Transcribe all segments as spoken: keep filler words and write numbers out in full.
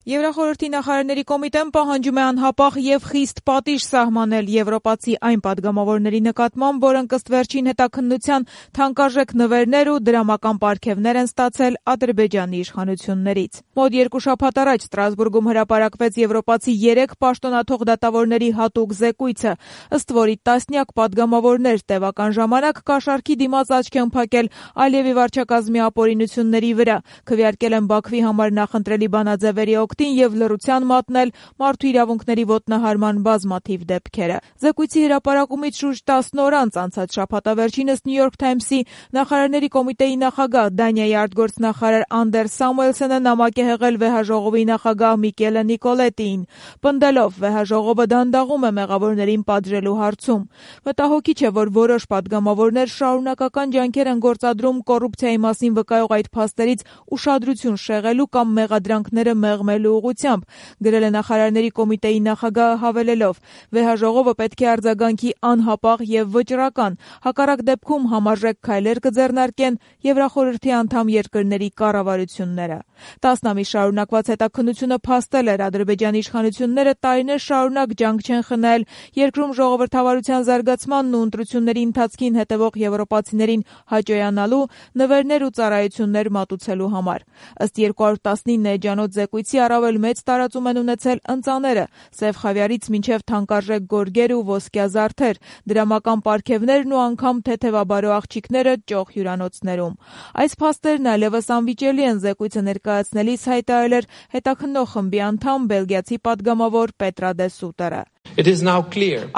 Եվրախորհրդի նախարարների կոմիտեն պահանջում է անհապաղ եւ խիստ պատիժ սահմանել եվրոպացի այն падգամավորների նկատմամբ, որոնք ըստ վերջին հետաքննության թանկարժեք նվերներ ու դրամական պարգևներ են ստացել Ադրբեջանի իշխանություններից։ Մոտ երկու շաբաթ առաջ Ստրասբուրգում հրապարակվեց եվրոպացի երեք պաշտոնաթող դատավորների հատուկ զեկույցը, ըստ որի տասնյակ падգամավորներ տևական ժամանակ կաշառքի դիմաց աչք են փակել Ալիևի վարչակազմի ապօրինությունների վրա, քվեարկել են Բաքվի համար նախընտրելի բանաձևերի օգտին եւ լռության մատնել մարդու իրավունքների ոտնահարման բազմաթիվ դեպքերը։ Զեկույցի հրապարակումից շուրջ տասն օր անց անցած շաբաթավերջինս New York Times-ի նախարարների կոմիտեի նախագահ Դանիայի արտգործնախարար Անդերս Սամուելսոնը նամակ է հղել վեհաժողովի նախագահ Միկելե Նիկոլետիին, պնդելով վեհաժողովը դանդաղում է մեղավորներին պատժելու հարցում։ Մտահոգիչ է, որ որոշ падգամավորներ շարունակական ջանքեր են գործադրում կոռուպցիայի մասին վկայող այդ փաստերից ուշադրություն շեղելու կամ մեղադրանքները մեղմելու ուղղությամբ, գրել է նախարարների կոմիտեի նախագահը հավելելով. վեհաժողովը պետք է արձագանքի անհապաղ եւ վճռական, հակառակ դեպքում համարժեք քայլեր կձեռնարկեն Եվրախորհրդի անդամ երկրների կառավարությունները։ Տասնամիս շարունակված հետաքննությունը փաստել էր Ադրբեջանի իշխանությունները տարիներ շարունակ ջանք չեն խնայել երկրում ժողովրդավարության զարգացմանն ու ընտրությունների ընթացքին հետևող եվրոպացիներին հաճոյանալու, նվերներ ու ծառայություններ մատուցելու համար։ Ըստ երկու հարյուր տասնինը էջանոց զեկույցի առավել մեծ տարածում են ունեցել ընծաները, սև խավիարից մինչև թանկարժեք գորգեր ու ոսկյա զարդեր, դրամական պարգևներն ու անգամ թեթևաբարո աղջիկները ճոխ հյուրանոցներում։ Այս փաստերն այլևս անվիճելի են, զեկույցը ներկայացնելիս հայտարարել էր հետաքննող խմբի անդամ բելգիացի падգամավոր Պետրա դե Սուտերը։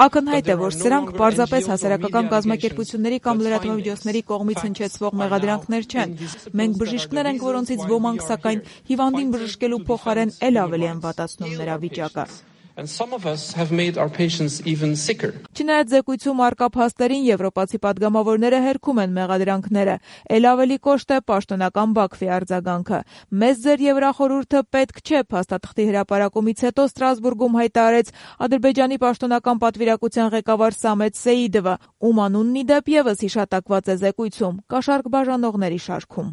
Ակնհայտ է, որ սրանք պարզապես հասարակական կազմակերպությունների կամ լրատվամիջոցների կողմից հնչեցվող մեղադրանքներ չեն։ Մենք բժիշկներ ենք, որոնցից ոմանք սակայն հիվանդին բժշկելու փոխարեն էլ ավելի են վատացնում նրա վիճակը։ Չնայած զեկույցում առկա փաստերին, եվրոպացի падգամավորները հերքում են մեղադրանքները, էլ ավելի կոշտ է պաշտոնական Բաքվի արձագանքը։ Մեզ ձեր Եվրախորհուրդը պետք չէ, փաստաթղթի հրապարակումից հետո Ստրասբուրգում հայտարարեց Ադրբեջանի պաշտոնական պատվիրակության ղեկավար Սամետ Սեիդովը, ում անունն ի դեպ եւս հիշատակված է զեկույցում՝ կաշառք բաժանողների շարքում։